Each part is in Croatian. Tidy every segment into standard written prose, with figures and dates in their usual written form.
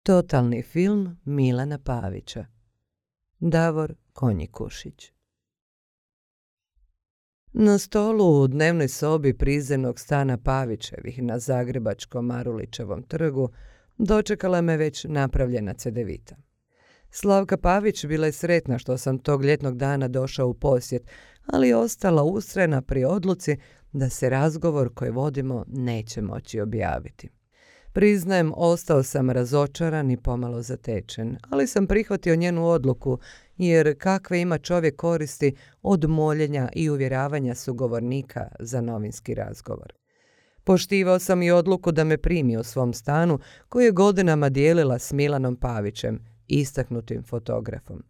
Totalni film Milana Pavića. Davor Konjikušić. Na stolu u dnevnoj sobi prizemnog stana Pavićevih na zagrebačkom Marulićevom trgu dočekala me već napravljena cedevita. Slavka Pavić bila je sretna što sam tog ljetnog dana došao u posjet, ali je ostala ustrajna pri odluci da se razgovor koji vodimo neće moći objaviti. Priznajem, ostao sam razočaran i pomalo zatečen, ali sam prihvatio njenu odluku, jer kakve ima čovjek koristi od moljenja i uvjeravanja sugovornika za novinski razgovor. Poštivao sam i odluku da me primi u svom stanu koji je godinama dijelila s Milanom Pavićem, istaknutim fotografom.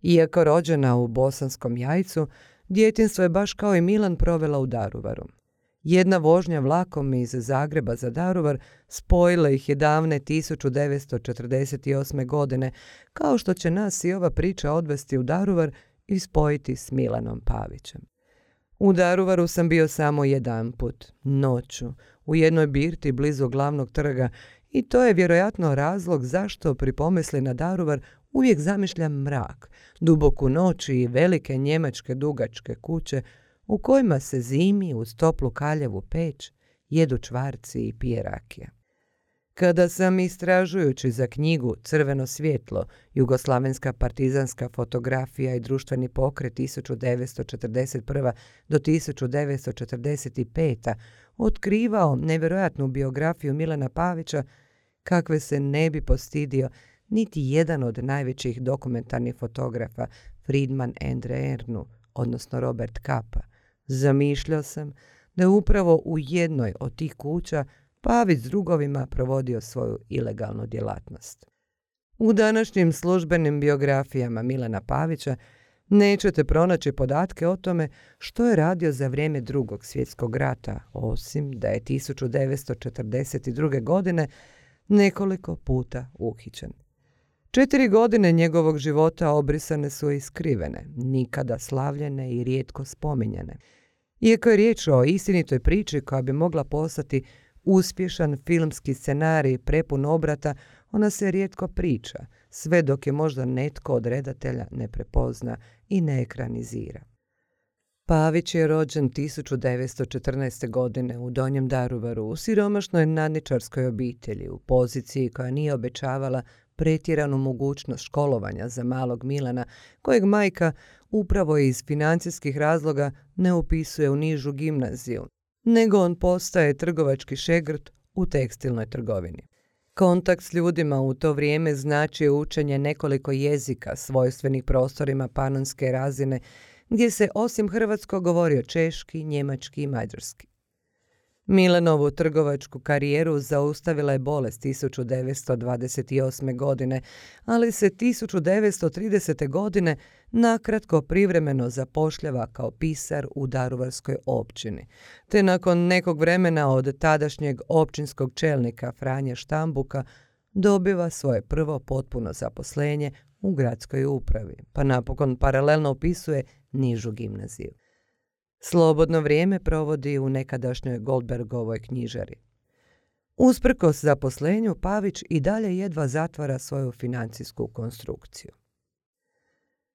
Iako rođena u Bosanskom Jajcu, djetinjstvo je baš kao i Milan provela u Daruvaru. Jedna vožnja vlakom iz Zagreba za Daruvar spojila ih je davne 1948. godine, kao što će nas i ova priča odvesti u Daruvar i spojiti s Milanom Pavićem. U Daruvaru sam bio samo jedanput, noću, u jednoj birti blizu glavnog trga, i to je vjerojatno razlog zašto pri pomisli na Daruvar uvijek zamišljam mrak, duboku noć i velike njemačke dugačke kuće u kojima se zimi uz toplu kaljevu peć jedu čvarci i pije rakija. Kada sam, istražujući za knjigu Crveno svjetlo, jugoslavenska partizanska fotografija i društveni pokret 1941. do 1945. otkrivao nevjerojatnu biografiju Milana Pavića, kakve se ne bi postidio niti jedan od najvećih dokumentarnih fotografa, Friedman and Ernu, odnosno Robert Capa, zamišljao sam da je upravo u jednoj od tih kuća Pavić s drugovima provodio svoju ilegalnu djelatnost. U današnjim službenim biografijama Milana Pavića nećete pronaći podatke o tome što je radio za vrijeme Drugog svjetskog rata, osim da je 1942. godine nekoliko puta uhićen. 4 godine njegovog života obrisane su i skrivene, nikada slavljene i rijetko spominjane. Iako je riječ o istinitoj priči koja bi mogla postati uspješan filmski scenarij prepun obrata, ona se rijetko priča, sve dok je možda netko od redatelja ne prepozna i ne ekranizira. Pavić je rođen 1914. godine u Donjem Daruvaru u siromašnoj nadničarskoj obitelji, u poziciji koja nije obećavala pretjeranu mogućnost školovanja za malog Milana, kojeg majka upravo iz financijskih razloga ne upisuje u nižu gimnaziju, nego on postaje trgovački šegrt u tekstilnoj trgovini. Kontakt s ljudima u to vrijeme znači učenje nekoliko jezika svojstvenih prostorima panonske razine, gdje se osim hrvatskog govorio češki, njemački i mađarski. Milanovu trgovačku karijeru zaustavila je bolest 1928. godine, ali se 1930. godine nakratko privremeno zapošljava kao pisar u daruvarskoj općini, te nakon nekog vremena od tadašnjeg općinskog čelnika Franje Štambuka dobiva svoje prvo potpuno zaposlenje u gradskoj upravi, pa napokon paralelno upisuje nižu gimnaziju. Slobodno vrijeme provodi u nekadašnjoj Goldbergovoj knjižari. Usprkos zaposlenju, Pavić i dalje jedva zatvara svoju financijsku konstrukciju.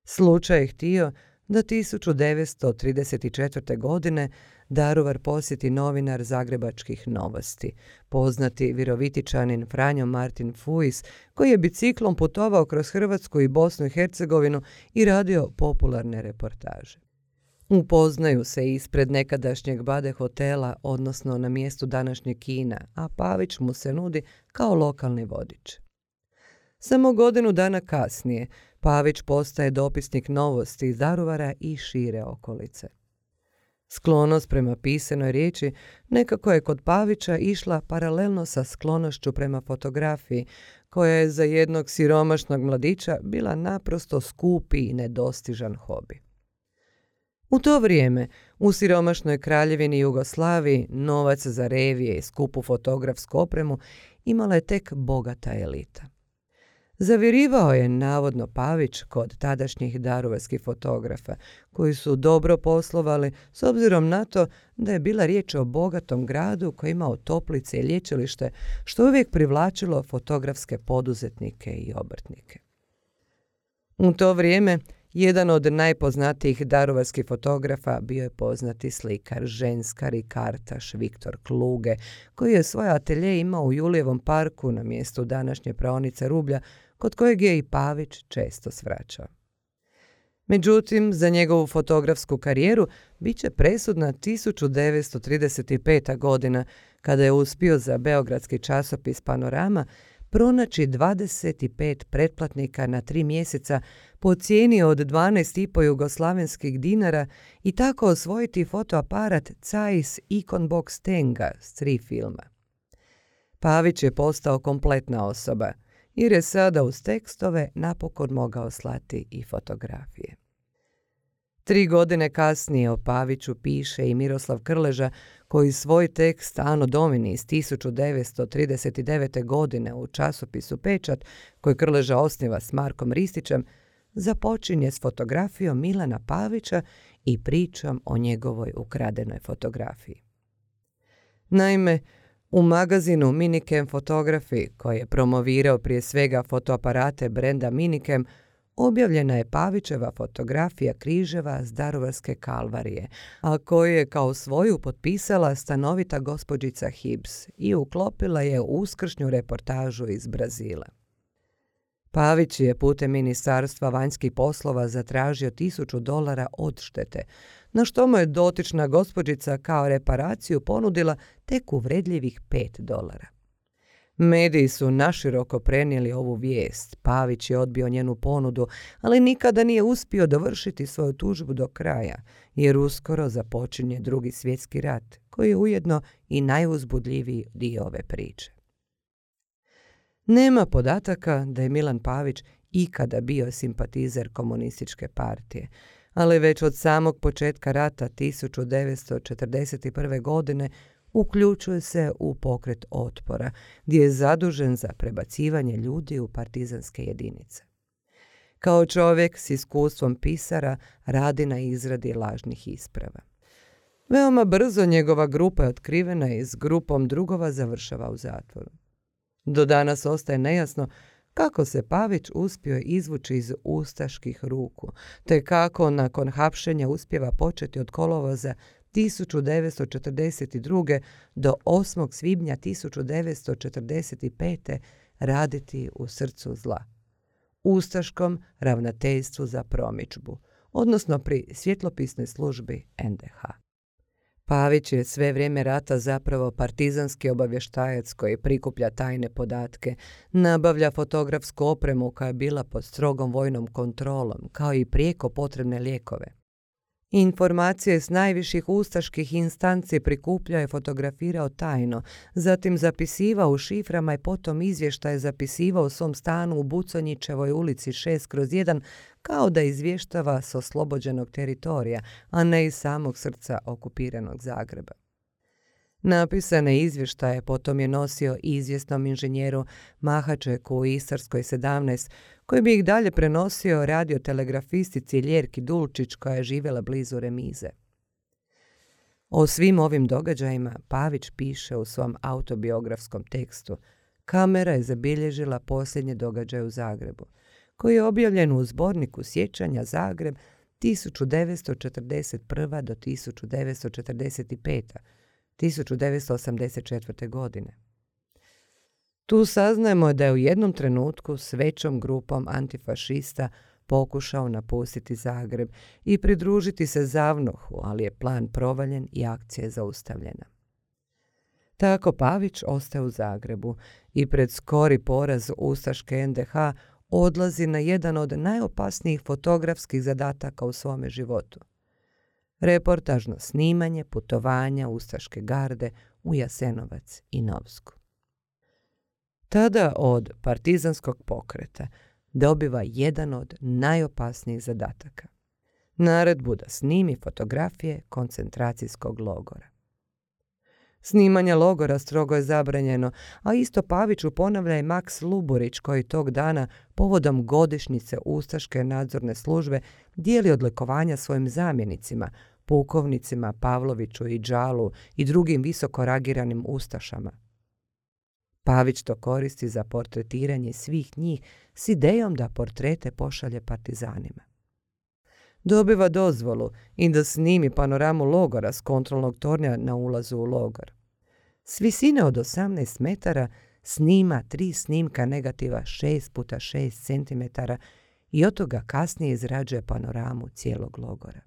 Slučaj je htio da 1934. godine Daruvar posjeti novinar Zagrebačkih novosti, poznati Virovitičanin Franjo Martin Fuis, koji je biciklom putovao kroz Hrvatsku i Bosnu i Hercegovinu i radio popularne reportaže. Upoznaju se ispred nekadašnjeg Bade hotela, odnosno na mjestu današnjeg kina, a Pavić mu se nudi kao lokalni vodič. Samo godinu dana kasnije Pavić postaje dopisnik novosti iz Daruvara i šire okolice. Sklonost prema pisanoj riječi nekako je kod Pavića išla paralelno sa sklonošću prema fotografiji, koja je za jednog siromašnog mladića bila naprosto skupi i nedostižan hobi. U to vrijeme, u siromašnoj kraljevini Jugoslaviji, novac za revije i skupu fotografsku opremu imala je tek bogata elita. Zavjerivao je navodno Pavić kod tadašnjih daruvarskih fotografa, koji su dobro poslovali s obzirom na to da je bila riječ o bogatom gradu koji je imao toplice i lječilište, što uvijek privlačilo fotografske poduzetnike i obrtnike. U to vrijeme jedan od najpoznatijih daruvarskih fotografa bio je poznati slikar, ženskar i kartaš Viktor Kluge, koji je svoj atelje imao u Julijevom parku na mjestu današnje praonice Rublja, kod kojeg je i Pavić često svraćao. Međutim, za njegovu fotografsku karijeru bit će presudna 1935. godina, kada je uspio za beogradski časopis Panorama pronaći 25 pretplatnika na 3 mjeseca po cijeni od 12,5 jugoslavenskih dinara i tako osvojiti fotoaparat Zeiss Icon Box Tenga s 3 filma. Pavić je postao kompletna osoba, jer je sada uz tekstove napokon mogao slati i fotografije. 3 godine kasnije o Paviću piše i Miroslav Krleža, koji svoj tekst Anno Domini iz 1939. godine u časopisu Pečat, koji Krleža osniva s Markom Ristićem, započinje s fotografijom Milana Pavića i pričom o njegovoj ukradenoj fotografiji. Naime, u magazinu Minikem Photography, koji je promovirao prije svega fotoaparate brenda Minikem, objavljena je Pavićeva fotografija križeva s Daruvarske kalvarije, a koju je kao svoju potpisala stanovita gospođica Hibbs i uklopila je u uskršnju reportažu iz Brazila. Pavić je putem Ministarstva vanjskih poslova zatražio $1000 odštete, na što mu je dotična gospođica kao reparaciju ponudila tek uvredljivih $5. Mediji su naširoko prenijeli ovu vijest. Pavić je odbio njenu ponudu, ali nikada nije uspio dovršiti svoju tužbu do kraja, jer uskoro započinje Drugi svjetski rat, koji je ujedno i najuzbudljiviji dio ove priče. Nema podataka da je Milan Pavić ikada bio simpatizer komunističke partije, ali već od samog početka rata 1941. godine uključuje se u pokret otpora, gdje je zadužen za prebacivanje ljudi u partizanske jedinice. Kao čovjek s iskustvom pisara radi na izradi lažnih isprava. Veoma brzo njegova grupa je otkrivena i s grupom drugova završava u zatvoru. Do danas ostaje nejasno kako se Pavić uspio izvući iz ustaških ruku, te kako nakon hapšenja uspijeva početi od kolovoza 1942. do 8. svibnja 1945. raditi u srcu zla, ustaškom ravnateljstvu za promidžbu, odnosno pri svjetlopisnoj službi NDH. Pavić je sve vrijeme rata zapravo partizanski obavještajac koji prikuplja tajne podatke, nabavlja fotografsku opremu koja je bila pod strogom vojnom kontrolom, kao i prijeko potrebne lijekove. Informacije s najviših ustaških instanci prikupljao i fotografirao tajno, zatim zapisivao u šiframa i potom izvještaje zapisivao u svom stanu u Buconjićevoj ulici 6/1 kao da izvještava s oslobođenog teritorija, a ne iz samog srca okupiranog Zagreba. Napisane izvještaje potom je nosio izvjesnom inženjeru Mahačeku u Istarskoj 17, koji bi ih dalje prenosio radiotelegrafistici Ljerki Dulčić, koja je živjela blizu Remize. O svim ovim događajima Pavić piše u svom autobiografskom tekstu Kamera je zabilježila posljednje događaje u Zagrebu, koji je objavljen u zborniku Sjećanja Zagreb 1941. do 1945. 1984. godine. Tu saznajemo da je u jednom trenutku s većom grupom antifašista pokušao napustiti Zagreb i pridružiti se Zavnohu, ali je plan provaljen i akcija je zaustavljena. Tako Pavić ostaje u Zagrebu i pred skori poraz ustaške NDH odlazi na jedan od najopasnijih fotografskih zadataka u svome životu. Reportažno snimanje putovanja ustaške garde u Jasenovac i Novsku. Tada od partizanskog pokreta dobiva jedan od najopasnijih zadataka. Naredbu da snimi fotografije koncentracijskog logora. Snimanje logora strogo je zabranjeno, a isto Paviću ponavlja i Maks Luburić koji tog dana povodom godišnjice Ustaške nadzorne službe dijeli odlikovanja svojim zamjenicima, pukovnicima Pavloviću i Đalu i drugim visoko rangiranim ustašama. Pavić to koristi za portretiranje svih njih s idejom da portrete pošalje partizanima. Dobiva dozvolu i da snimi panoramu logora s kontrolnog tornja na ulazu u logor. S visine od 18 metara snima 3 snimka negativa 6x6 cm i od toga kasnije izrađuje panoramu cijelog logora.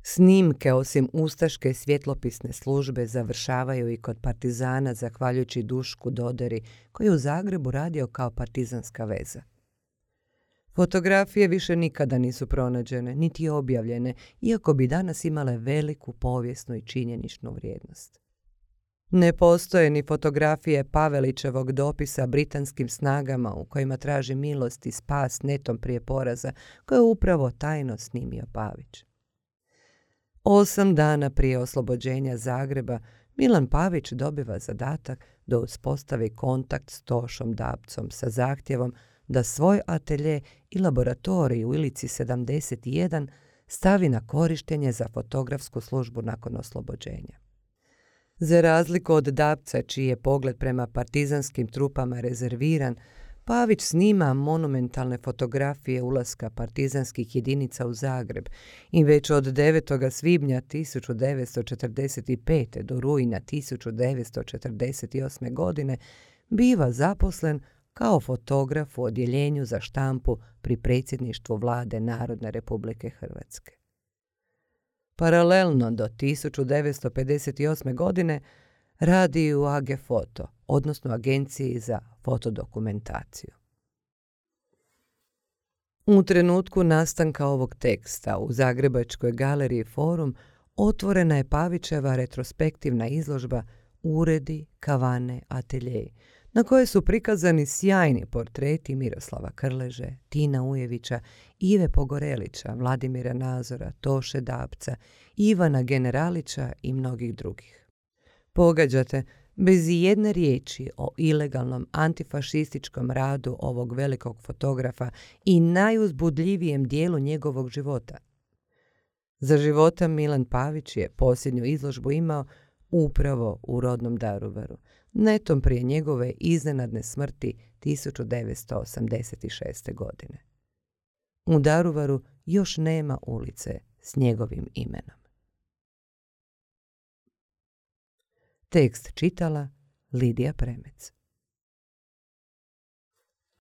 Snimke osim Ustaške svjetlopisne službe završavaju i kod partizana zahvaljujući Dušku Doderi koji je u Zagrebu radio kao partizanska veza. Fotografije više nikada nisu pronađene, niti objavljene, iako bi danas imale veliku povijesnu i činjeničnu vrijednost. Ne postoje ni fotografije Pavelićevog dopisa britanskim snagama u kojima traži milost i spas netom prije poraza, koje je upravo tajno snimio Pavić. 8 dana prije oslobođenja Zagreba Milan Pavić dobiva zadatak da uspostavi kontakt s Tošom Dabcom sa zahtjevom da svoj atelje i laboratorij u Ilici 71 stavi na korištenje za fotografsku službu nakon oslobođenja. Za razliku od Dabca, čiji je pogled prema partizanskim trupama rezerviran, Pavić snima monumentalne fotografije ulaska partizanskih jedinica u Zagreb i već od 9. svibnja 1945. do rujna 1948. godine biva zaposlen kao fotograf u odjeljenju za štampu pri predsjedništvu Vlade Narodne Republike Hrvatske. Paralelno do 1958. godine radi u AG Foto, odnosno Agenciji za fotodokumentaciju. U trenutku nastanka ovog teksta u Zagrebačkoj galeriji Forum otvorena je Pavićeva retrospektivna izložba Uredi, kavane, ateljeji, na kojoj su prikazani sjajni portreti Miroslava Krleže, Tina Ujevića, Ive Pogorelića, Vladimira Nazora, Toše Dabca, Ivana Generalića i mnogih drugih. Pogađate, bez ijedne riječi o ilegalnom antifašističkom radu ovog velikog fotografa i najuzbudljivijem dijelu njegovog života. Za života Milan Pavić je posljednju izložbu imao upravo u rodnom Daruvaru, netom prije njegove iznenadne smrti 1986. godine. U Daruvaru još nema ulice s njegovim imenom. Tekst čitala Lidija Premec.